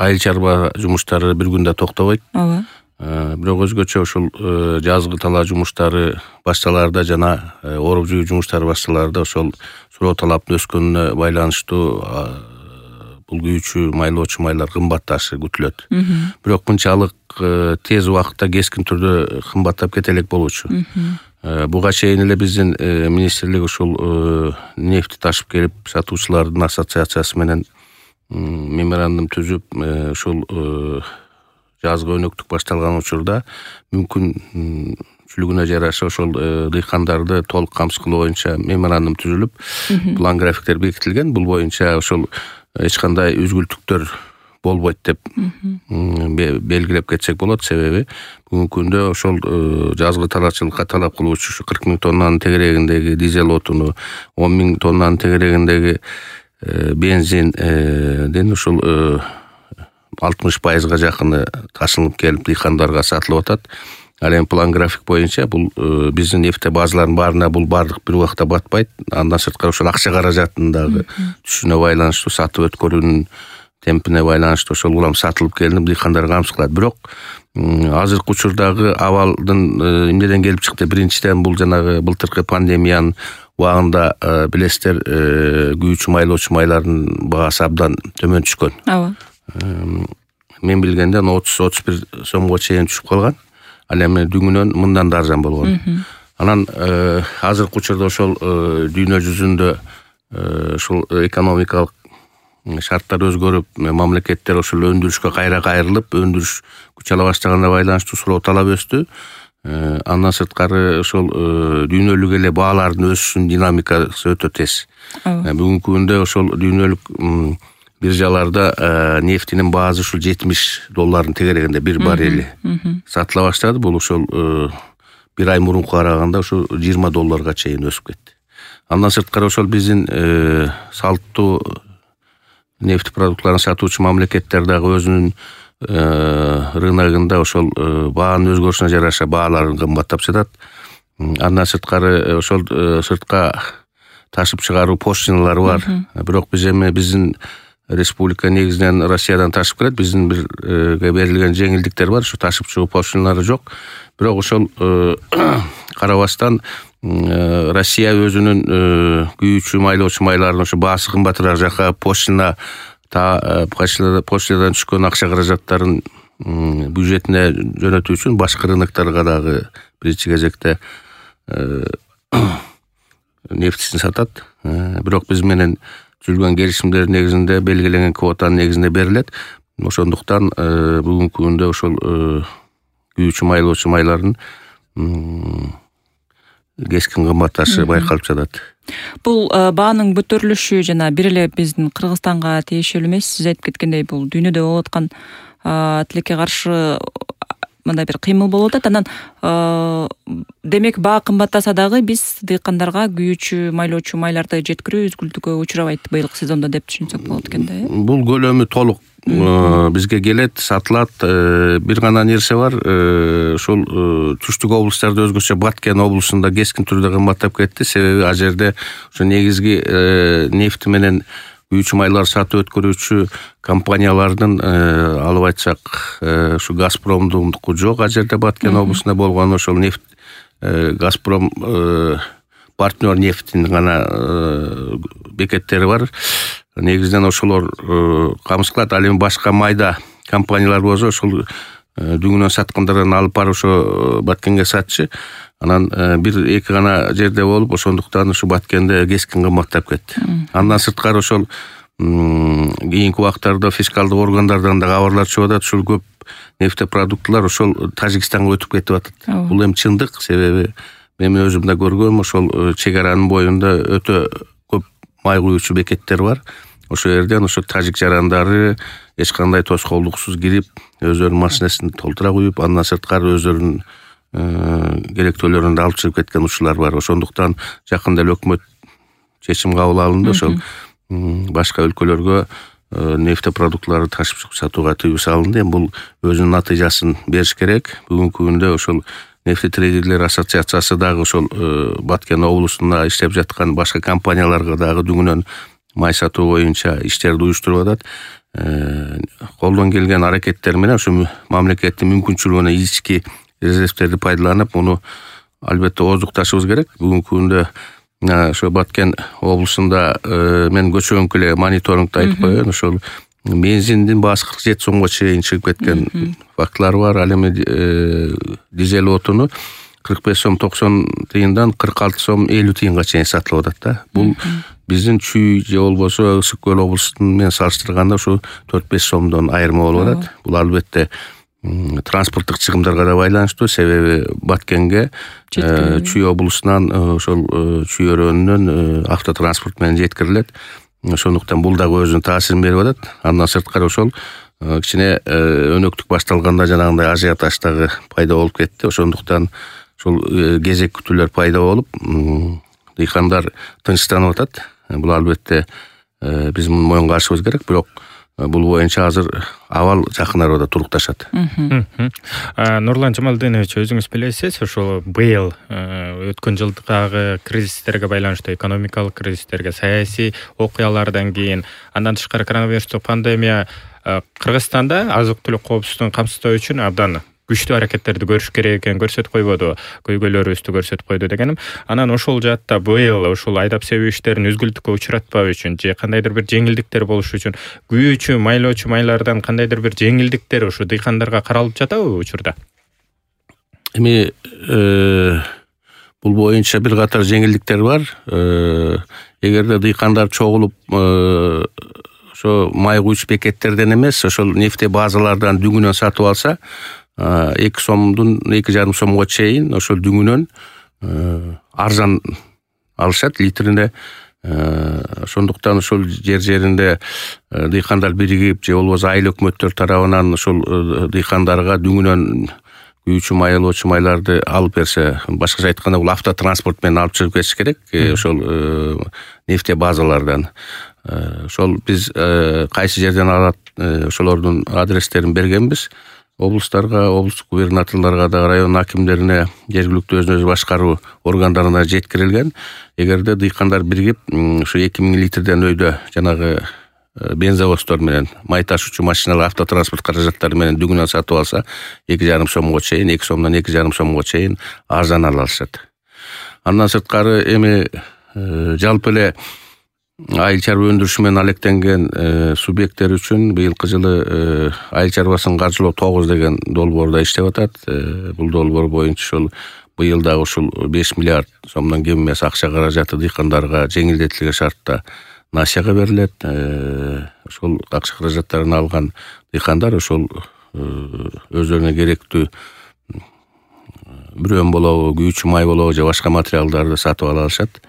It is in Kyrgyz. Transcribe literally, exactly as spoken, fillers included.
айыл чарба жумуштары бир күндө токтобойт. Ооба. Бирок өзгөчө ошол жазгы талаа жумуштары башталаарда жана оруп жүйүү жумуштары башталаарда ошол суроо талаптын өскөнүнө байланыштуу бул күйүүчү майлоочу майлар кымбатташы күтүлөт. Бирок мынчалык тез убакытта кескин түрдө кымбаттап кете элек болчу. Буга чейин эле биздин министрлик ушул нефти ташып келип сатуучулардын ассоциациясы менен меморандум түзүп ушул жазгы өнөктүк башталган учурда мүмкүнчүлүгүнө жараша ошол дыйкандарды толук камсыз кылуу боюнча меморандум түзүлүп, план графиктер бекитилген. Бул боюнча ошол эч кандай үзгүлтүктөр болбойт деп белгилеп кетсек болот. Себеби бүгүнкү күндө ошол жазгы талаачылыкка талап кылуучу ушу кырк миң тоннанын тегерегиндеги дизель отуну, он миң тоннанын тегерегиндеги бензинден ушул алтымыш пайызга жакыны ташылып келип дыйкандарга сатылып атат. Ал эми план график боюнча бул биздин нефть базаларынын баарына бул бардык бир убакта батпайт. Андан сырткары ошол акча каражатындагы түшүнө байланыштуу, сатып өткөрүүнүн темпине байланыштуу ошол улам сатылып келинип дыйкандарга камсыз кылат. Бирок азыркы учурдагы абалдын эмнеден келип чыкты? Биринчиден бул жанагы былтыркы пандемиянын убагында билесиздер, күйүүчү майлоочу майлардын баасы абдан төмөн түшкөн. Ооба. Мен билгенден отуз отуз бир сомго чейин түшүп калган. Ал эми дүңүнөн мындан да арзан болгон. Анан азыркы учурда ошол дүйнө жүзүндө ушул экономикалык шарттар өзгөрүп, мамлекеттер ошол өндүрүшкө кайра кайрылып, өндүрүш күч ала баштаганына байланыштуу суроо талап өстү. Андан сырткары ошол дүйнөлүк эле баалардын өсүшүнүн динамикасы өтө тез. Бүгүнкү күндө ошол дүйнөлүк биржаларда нефтинин баасы ушул жетимиш доллардын тегерегинде бир баррели сатыла баштады. Бул ошол бир ай мурунку караганда ошо жыйырма долларга чейин өсүп кетти. Андан сырткары ошол биздин салттуу нефть продуктларын сатуучу мамлекеттер дагы өзүнүн рыногунда ошол баанын өзгөрүшүнө жараша бааларын кымбаттап жатат. Андан сырткары ошол сыртка ташып чыгаруу пошлиналары бар. Бирок биз эми биздин республика негизинен Россиядан ташып келет. Биздин бирге берилген жеңилдиктер бар. Ушу ташып чыгуу пошлиналары жок. Бирок ошол карабастан Россия өзүнүн күйүүчү майлоочу майларынын ошо баасы кымбатыраак жака пошлина пошлинадан түшкөн акча каражаттарын бюджетине жөнөтүү үчүн башка рынокторго дагы биринчи кезекте нефтисин сатат. Бирок биз менен түзүлгөн келишимдер негизинде белгиленген квотанын негизинде берилет. Ошондуктан бүгүнкү күндө ошол күйүүчү майлоочу майлардын кескин кымбатташы байкалып жатат. Бул баанын көтөрүлүшү жана бир эле биздин Кыргызстанга тиешелүү эмес. Сиз айтып кеткендей бул дүйнөдө болуп аткан тилекке каршы мындай бир кыймыл болуп атат. Анан демек баа кымбаттаса дагы биз дыйкандарга күйүүчү майлоочу майларды жеткирүү үзгүлтүккө учурабайт быйылкы сезондо деп түшүнсөк болот экен да. Бул көлөмү толук бизге келет, сатылат. Бир гана нерсе бар, ошол түштүк облустарда өзгөчө Баткен облусунда кескин түрдө кымбаттап кетти. Себеби ал жерде ошо негизги нефти менен күйүүчү майлар сатып өткөрүүчү компаниялардын алып айтсак ушу Газпромдундуку жок. Ал жерде Баткен облусунда болгон ошол нефть Газпром партнер нефтинин гана бекеттери бар. Негизинен ошолор камсыз кылат. Ал эми башка майда компаниялар болсо ошол дүңүнөн саткандардан алып барып ошо Баткенге сатчы. Анан бир эки гана жерде болуп, ошондуктан ушу Баткенде кескин кымбаттап кетти. Андан сырткары ошол кийинки убактарда фискалдык органдардан да кабарлар чыгып атат. Ушул көп нефтепродуктылар ошол Тажикстанга өтүп кетип атат. Бул эми чындык. Себеби мен өзүм да көргөм, ошол чек аранын боюнда өтө көп май куюучу бекеттер бар. Ошол жерден ошо тажик жарандары эч кандай тоскоолдуксуз кирип, өздөрүнүн машинесин толтура куюп, андан сырткары өздөрүнүн керектөөлөрүн да алып чыгып кеткен учурлар бар. Ошондуктан жакында эле өкмөт чечим кабыл алынды. Ошол башка өлкөлөргө нефтепродуктларды ташып чыгып сатууга тыюу салынды. Эми бул өзүнүн натыйжасын бериш керек. Бүгүнкү күндө ошол нефтетрейдерлер ассоциациясы дагы ошол Баткен облусунда иштеп жаткан башка компанияларга дагы дүңүнөн май сатуу боюнча иштерди уюштуруп атат. Колдон келген аракеттер менен ушу мамлекеттин мүмкүнчүлүгүнө ички резервтерди пайдаланып, муну албетте ооздукташыбыз керек. Бүгүнкү күндө ошо Баткен облусунда мен көчөгөнкү эле мониторингди айтып коеюн. Ошол бензиндин баасы кырк жети сомго чейин чыгып кеткен фактылар бар. Ал эми дизель отуну кырк беш сом токсон тыйындан кырк алты сом элүү тыйынга чейин сатылып атат да. Бул биздин Чүй же болбосо Ысык көл облусу менен салыштырганда ушу төрт беш сомдон айырма болуп атат. Бул албетте транспорттук чыгымдарга да байланыштуу. Себеби Баткенге Чүй облусунан ошол Чүй өрөөнүнөн автотранспорт менен жеткирилет. Ошондуктан бул дагы өзүнүн таасирин берип атат. Андан сырткары ошол кичине өнөктүк башталганда жанагындай ажиотаж дагы пайда болуп кетти. Ошондуктан ошол кезек күтүүлөр пайда болуп, дыйкандар тынчтанып атат. Бул албетте биз муну моюнга алышыбыз керек, бирок бул боюнча азыр абал жакын арада турукташат. Нурлан Жамалдинович, өзүңүз билесиз, ошол быйыл өткөн жылдагы кризистерге байланыштуу, экономикалык кризистерге, саясий окуялардан кийин, андан тышкары коронавирустук пандемия Кыргызстанда азык-түлүк коопсуздугун камсыздоо үчүн абдан күчтүү аракеттерди көрүш керек экенин көрсөтүп койбоду, көйгөйлөрүбүздү көрсөтүп койду дегеним. Анан ошол жаатта быйыл ушул айдап себүү иштерин үзгүлтүккө учуратпоо үчүн же кандайдыр бир жеңилдиктер болуш үчүн күйүүчү, майлоочу майлардан кандайдыр бир жеңилдиктер ушу дыйкандарга каралып жатабы учурда? Эми бул боюнча бир катар жеңилдиктер бар. Эгерде дыйкандар чогулуп ошо май куючу бекеттерден эмес, ошол нефте базалардан дүңүнөн сатып алса, эки сомдун эки жарым сомго чейин ошол дүңүнөн арзан алышат литрине. Ошондуктан ошол жер жеринде дыйкандар биригип же болбосо айыл өкмөттөр тарабынан ошол дыйкандарга дүңүнөн күйүүчү майлоочу майларды алып берсе, башкача айтканда бул автотранспорт менен алып чыгып кетиш керек ошол нефте базалардан. Ошол биз кайсы жерден алат, ошолордун адрестерин бергенбиз. Облустарга, облустук губернаторлорго да, район акимдерине, жергиликтүү өзүн өзү башкаруу органдарына жеткирилген. Эгерде дыйкандар биригип ушу эки миң литрден өйдө жанагы бензовоздор менен, май ташуучу машиналар, автотранспорт каражаттары менен дүңүнөн сатып алса, эки жарым сомго чейин, эки сомдон эки жарым сомго чейин арзан ала алышат. Андан сырткары эми жалпы эле айыл чарба өндүрүшү менен алектенген субъекттер үчүн быйылкы жылы айыл чарбасын каржылоо тогуз деген долбоордо иштеп атат. Бул долбоор боюнча ушул быйыл дагы ушул беш миллиард сомдон кем эмес акча каражаты дыйкандарга жеңилдетилген шартта насияга берилет. Ошол акча каражаттарын алган дыйкандар ошол өздөрүнө керектүү бүрөн болобу, күйүүчү май болобу же башка материалдарды сатып ала алышат.